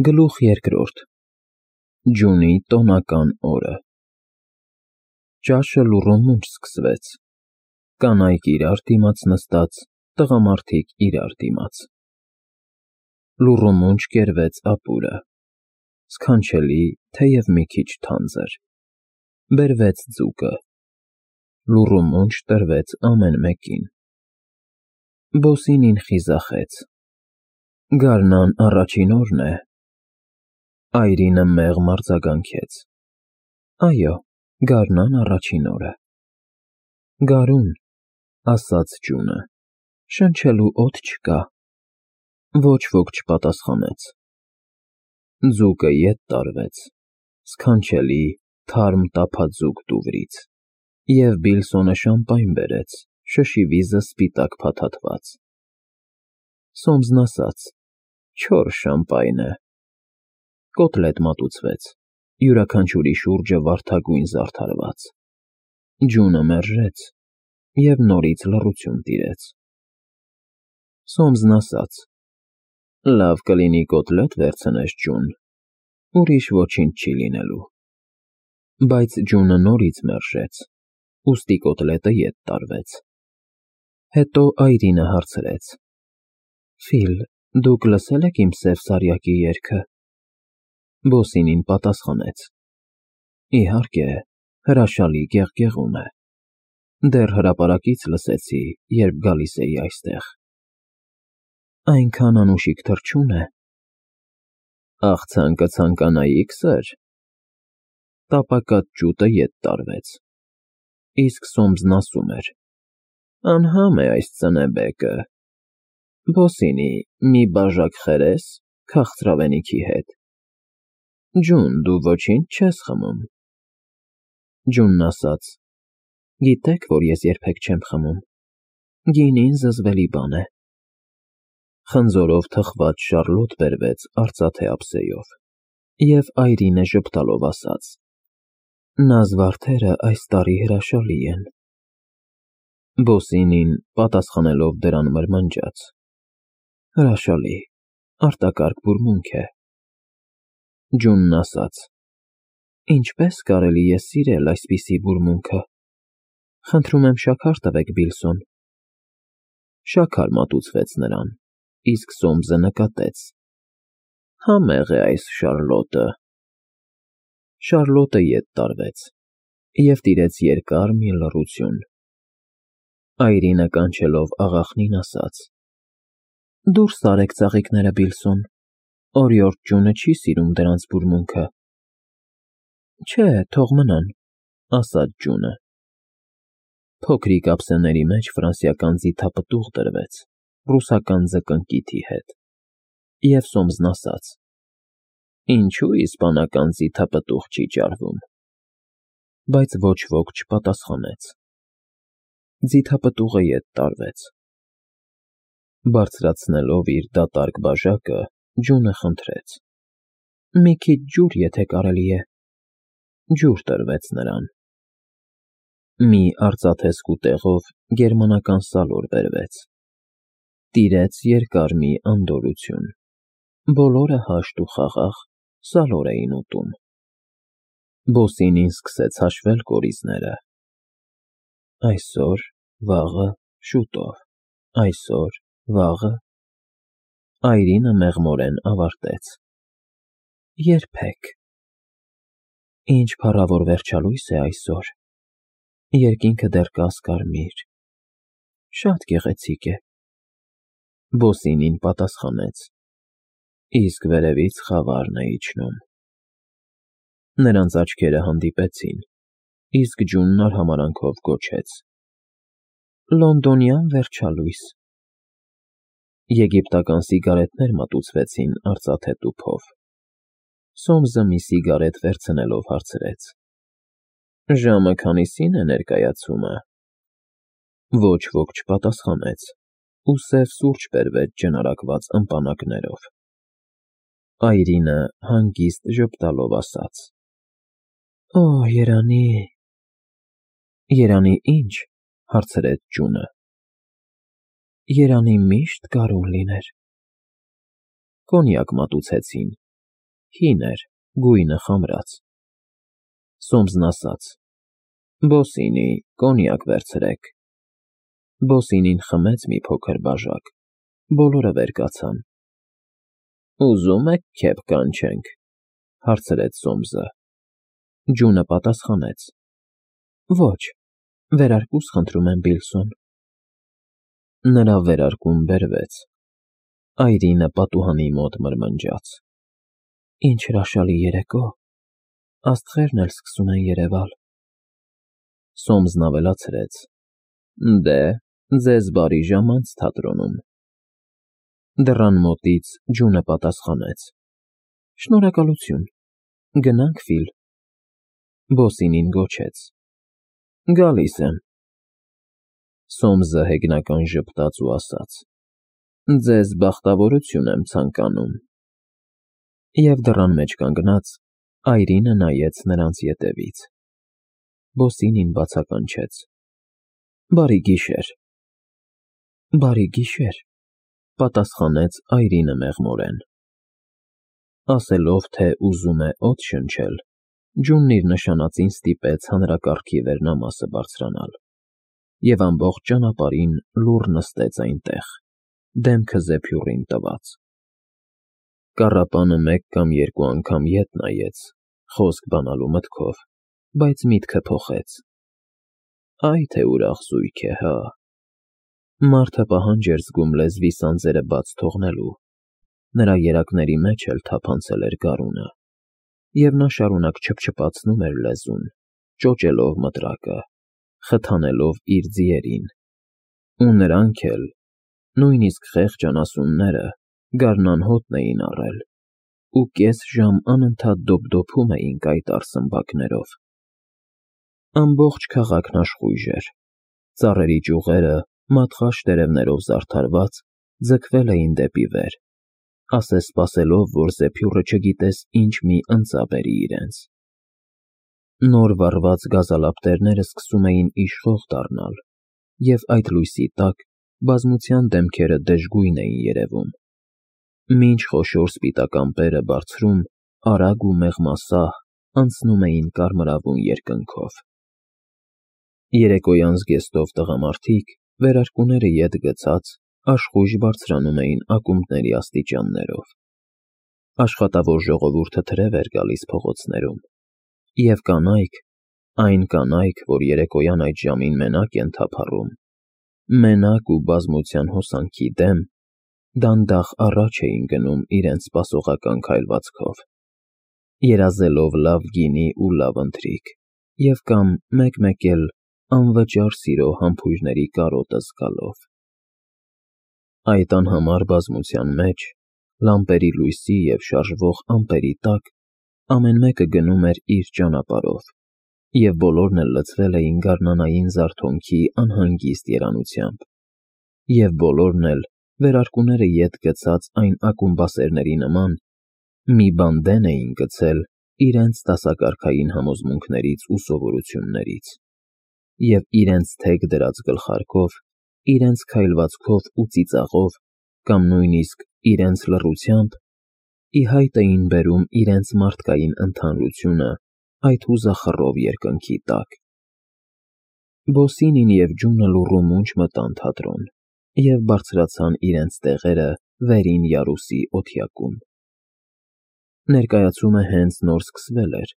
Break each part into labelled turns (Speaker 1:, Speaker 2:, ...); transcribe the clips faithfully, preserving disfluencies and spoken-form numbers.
Speaker 1: Գլուխ երկրորդ Ջունի տոնական օրը Ճաշը լուռում մունջ սկսվեց, կանայք իրար դիմաց նստած, տղամարդիկ իրար դիմաց, լուռում մունջ կերվեց ապուրը, սքանչելի, թեև մի քիչ թանձր, բերվեց ձուկը, լուռում մունջ տրվեց ամեն մեկին, Բոսինին խիզախեց, գարնան առաջին օրն է, Այրինը մեղմ արձագանքեց, այո, գարնան առաջին օրը, Գարուն, ասաց ջունը, շնչելու օդ չկա, ոչ ոք չպատասխանեց, ձուկը ետ տարվեց, սքանչելի, թարմ տափաձուկ դուվրից, և Բիլսոնը շամպայն բերեց, շշի վիզը սպիտակ փաթաթված, Սոմսն ասաց, չոր շամպայն է, կոտլետ մատուցվեց, յուրաքանչյուրի շուրջը վարդագույն զարդարված, ջունը մերժեց և նորից լռություն տիրեց, Սոմսն ասաց, լավ կլինի կոտլետ վերցնես ջուն, ուրիշ ոչինչ չի լինելու, բայց ջունը նորից մերժեց, ուստի կոտլետը ետ տարվեց, հետո Այրինը հարցրեց, Ֆիլ, դուք լսե՞լ եք իմ սև սարյակի երգը, Բոսինին պատասխանեց, իհարկե, հրաշալի գեղգեղում է, դեռ հրապարակից լսեցի, երբ գալիս էի այստեղ, այնքան անուշիկ թռչուն է, աղցան կցանկանայիք, սըր, տապակած ջուտը ետ տարվեց, իսկ Սոմսն ասում էր, անհամ է այս ծնեբեկը, Բոսինի, մի բաժակ խերես, քաղցրավենիքի հետ, ջուն, դու ոչինչ չես խմում, ջունն ասաց, գիտեք, որ ես երբեք չեմ խմում, գինին զզվելի բան է, խնձորով թխված շարլոտ բերվեց արծաթե ափսեով, և Այրինը ժպտալով ասաց, նազվարդերը այս տարի հրաշալի են, Բոսինին, պատասխանելով դրան մրմնջաց, հրաշալի, արտակարգ բուրմունք է, ջունն ասաց, ինչպես կարելի է սիրել այսպիսի բուրմունքը, խնդրում եմ շաքար տվեք Բիլսոն, շաքար մատուցվեց նրան, իսկ Սոմսը նկատեց, համեղ է այս շարլոտը, շարլոտը ետ տարվեց, և տիրեց երկար մի լռություն, Այրինը կանչելով աղախնին ասաց, դուրս արեք ծաղիկները Բիլսոն, օրիորդ ջունը չի սիրում դրանց բուրմունքը, չէ, թող մնան, ասաց ջունը, փոքրիկ ափսեների մեջ ֆրանսիական ձիթապտուղ դրվեց, ռուսական ձկնկիթի հետ, և Սոմսն ասաց, ինչու իսպանական ձիթապտուղ չի ճարվում, բայց ոչ ոք չպատասխանեց, ձիթապտուղը ետ տարվեց, բարձրացնելով իր դատարկ բաժակը, ջունը խնդրեց, մի քիչ ջուր, եթե կարելի է, ջուր տրվեց նրան, մի արծաթե սկուտեղով գերմանական սալոր բերվեց, տիրեց երկար մի անդորրություն, բոլորը հաշտ ու խաղաղ սալոր էին ուտում, Բոսինին սկսեց հաշվել կորիզները, այսօր, վաղը, շուտով, այսօր, վաղը, Այրինը մեղմորեն ավարտեց, երբեք, ինչ փառավոր վերջալույս է այսօր, երկինքը դեռ կասկարմիր, շատ գեղեցիկ է, Բոսինին պատասխանեց, իսկ վերևից խավարն է իջնում, նրանց աչքերը հանդիպեցին, իսկ ջունն արհամարհանքով գոչեց, լոնդոնյան վերջալույս, եգիպտական սիգարետներ մատուցվեցին արծաթե տուփով, Սոմսը մի սիգարետ վերցնելով հարցրեց, ժամը քանիսին է ներկայացումը, ոչ ոք չպատասխանեց, ու սև սուրճ բերվեց ջնարակված ըմպանակներով, Այրինը հանգիստ ժպտալով ասաց, Օ, երանի, երանի ինչ, հարցրեց ջունը, երանի միշտ գարուն լիներ, կոնյակ մատուցեցին, Հին էր, գույնը խամրած։ Սոմսն ասաց. «Բոսինի, կոնյակ վերցրեք»։ Բոսինին խմեց մի փոքր բաժակ, բոլորը վեր կացան։ «Ուզում եք քեփ կանչենք», հարցրեց Սոմսը։ Ջունը պատասխանեց. «Ոչ, վերարկուս խնդրում եմ, Բիլսոն»։ Նրա վերարկուն բերվեց։ Այրինը պատուհանի մոտ մրմնջաց. «Ինչ հրաշալի երեկո, աստղերն էլ սկսում են երևալ»։ Սոմսն ավելացրեց. «Դե, ձեզ բարի ժամանց թատրոնում»։ Դռան մոտից Ջունը պատասխանեց. «Շնորհակալություն, գնանք, Ֆիլ»։ Բոսինին գոչեց. «Գալիս եմ»։ Սոմսը հեգնական ժպտաց ու ասաց. «Ձեզ բախտավորություն եմ ցանկանում»։ Եվ դռան մեջ կանգնած Այրինը նայեց նրանց ետևից։ Բոսինին բացականչեց. «Բարի գիշեր»։ «Բարի գիշեր», պատասխանեց Այրինը մեղմորեն։ Ասելով, թե ուզում է օդ շնչել, Ջունն իր նշանածին ստիպեց հանրակարգի վերնամասը բարձրանալ, և ամբողջ ճանապարհին լուռ նստեց այնտեղ, դեմքը զեփյուռին տված։ Կառապանը մեկ կամ երկու անգամ ետ նայեց, խոսք բանալու մտքով, բայց միտքը փոխեց։ Այ թե ուրախ զույգ է, հա։ Մարդը պահանջ էր զգում լեզվի սանձերը բաց թողնելու, նրա երակների մեջ էլ թափանցել էր գարունը, և նա շարունակ չփչփացնում էր լեզուն, ճոճելով մտրակը, խթանելով իր ձիերին։ Ու նրանք էլ, նույնիսկ խեղճ անասունները, գարնանհոտն էին առել ու կես ժամ անընդհատ դոփդոփում էին կայտառ սմբակներով։ Ամբողջ քաղաքն աշխույժ էր, ծառերի ճյուղերը, մատղաշ տերևներով զարդարված, ձգվել էին դեպի վեր, ասես-սպասելով, որ զեփյուռը չգիտես ինչ մի ընծա բերի իրենց։ Նոր վառված գազալապտերները սկսում էին իշխող դառնալ, և այդ լույսի տակ բազմության դեմքերը դժգույն էին երևում, մինչ խոշոր սպիտակ ամպերը բարձրում, արագ ու մեղմասահ անցնում էին կարմրավուն երկնքով։ Երեկոյան զգեստով տղամարդիկ, վերարկուները ետ գցած, աշխույժ բարձրանում էին ակումբների աստիճաններով։ Աշխատավոր ժողովուրդը թրև էր գալիս փողոցներում, և կանայք, այն կանայք, որ երեկոյան այդ ժամին մենակ են թափառում, մենակ ու բազմության հոսանքի դեմ, դանդաղ առաջ էին գնում իրենց սպասողական քայլվածքով, երազելով լավ գինի ու լավ ընթրիք, և կամ մեկ֊մեկ էլ անվճար սիրո համբույրների կարոտը զգալով։ Այդ անհամար բազմության մեջ, լամպերի լույսի և շարժվող ամպերի տակ, ամեն մեկը գնում էր իր ճանապարհով, և բոլորն էլ լցվել էին գարնանային զարթոնքի անհանգիստ երանությամբ, և բոլորն էլ, վերարկուները ետ գցած այն ակումբասերների նման, մի բան դեն էին գցել իրենց դասակարգային համոզմունքներից ու սովորություններից, և իրենց թեք դրած գլխարկով, իրենց քայլվածքով ու ծիծաղով, կամ նույնիսկ իրենց լռությամբ, ի հայտ էին բերում իրենց մարդկային ընդհանրությունը այդ հուզախռով երկնքի տակ։ Բոսինին և Ջունը լուռ ու մունջ մտան թատրոն և բարձրացան իրենց տեղերը վերին յարուսի օթյակում։ Ներկայացումը հենց նոր սկսվել էր,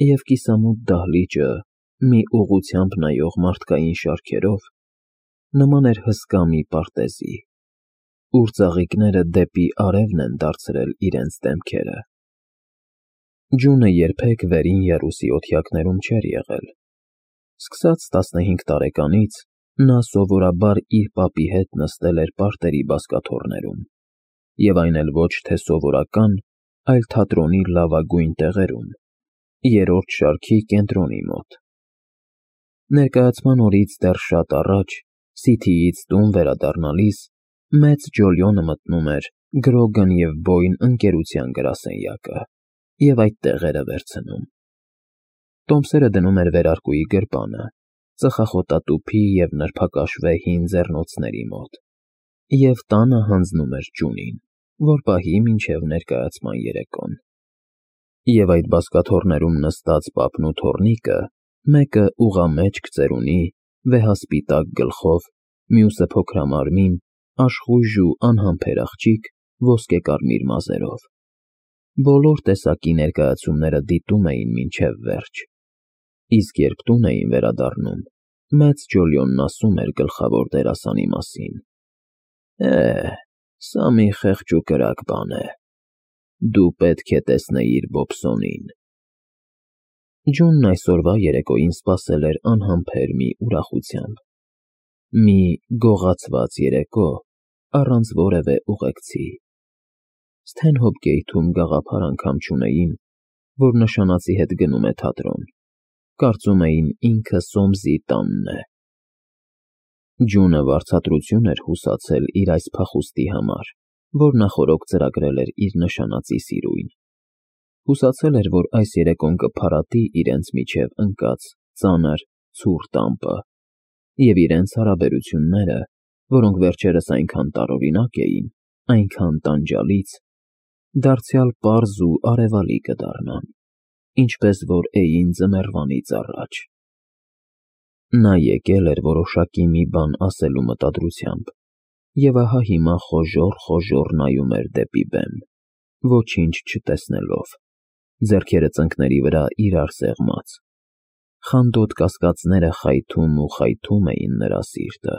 Speaker 1: և կիսամութ դահլիճը, մի ուղղությամբ նայող մարդկային շարքերով, նման էր հսկա մի պարտեզի, ուր ծաղիկները դեպի արևն են դարձրել իրենց դեմքերը։ Ջունը երբեք վերին յարուսի օթյակներում չէր եղել։ Սկսած տասնհինգ տարեկանից նա սովորաբար իր պապի հետ նստել էր պարտերի բազկաթոռներում, և այն էլ ոչ թե սովորական, այլ թատրոնի լավագույն տեղերում, երրորդ շարքի կենտրոնի մոտ։ Ներկայացման օրից դեռ շատ առաջ, Սիթիից տուն վերադառնալիս, մեծ Ջոլիոնը մտնում էր Գրոգան և Բոյն ընկերության գրասենյակը և այդտեղ էր վերցնում։ Տոմսերը դնում էր վերարկուի գրպանը, ծխախոտատուփի և նրբակաշվե հին ձեռնոցների մոտ, և տանը հանձնում էր Ջունին, որ պահի մինչև ներկայացման երեկոն։ Եվ այդ բազկաթոռներում նստած պապն ու թոռնիկը, մեկը ուղղամեջք ծերունի, վեհասպիտակ գլխով, մյուսը փոքրամարմին, աշխույժ ու անհամբեր աղջիկ ոսկեկարմիր մազերով։ Բոլոր տեսակի ներկայացումները դիտում էին մինչև վերջ, իսկ երբ տուն էին վերադառնում, մեծ Ջոլիոնն ասում էր գլխավոր դերասանի մասին. «Է, սա մի խեղճ ու կրակ բան է, դու պետք է տեսնեիր Բոբսոնին»։ Ջոնն այսօրվա երեկոյին սպասել էր անհամբեր մի ուրախությամբ, մի գողացված երեկո, առանց որևէ ուղեկցի։ Սթենհոփ Գեյթում գաղափար անգամ չունեին, որ նշանածի հետ գնում է թատրոն, կարծում էին ինքը Սոմսի տանն է։ Ջոնը վարձատրություն էր հուսացել իր այս փախուստի համար, որ նախօրոք ծրագրել էր իր նշանածի սիրույն։ Հուսացել էր, որ այս երեկոն կփարատի իրենց միջև ընկած ծանր, ցուրտ տամպը, և իրենց հարաբերությունները, որոնք վերջերս այնքան տարօրինակ էին, այնքան տանջալից, դարձյալ պարզ ու արևալի կդառնան, ինչպես որ էին ձմեռվանից առաջ։ Նա եկել էր որոշակի մի բան ասելու մտադրությամբ, և ահա հիմա խոժոռ֊խոժոռ նայում էր դեպի բեմ, ոչինչ չտեսնելով, ձեռքերը ծնկների վրա իրար սեղմած։ Խանդոտ կասկածները խայթում ու խայթում էին նրա սիրտը։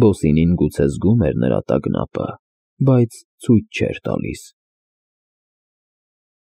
Speaker 1: Բոսինին գուցե զգում էր նրա տագնապը, բայց ցույց չէր տալիս։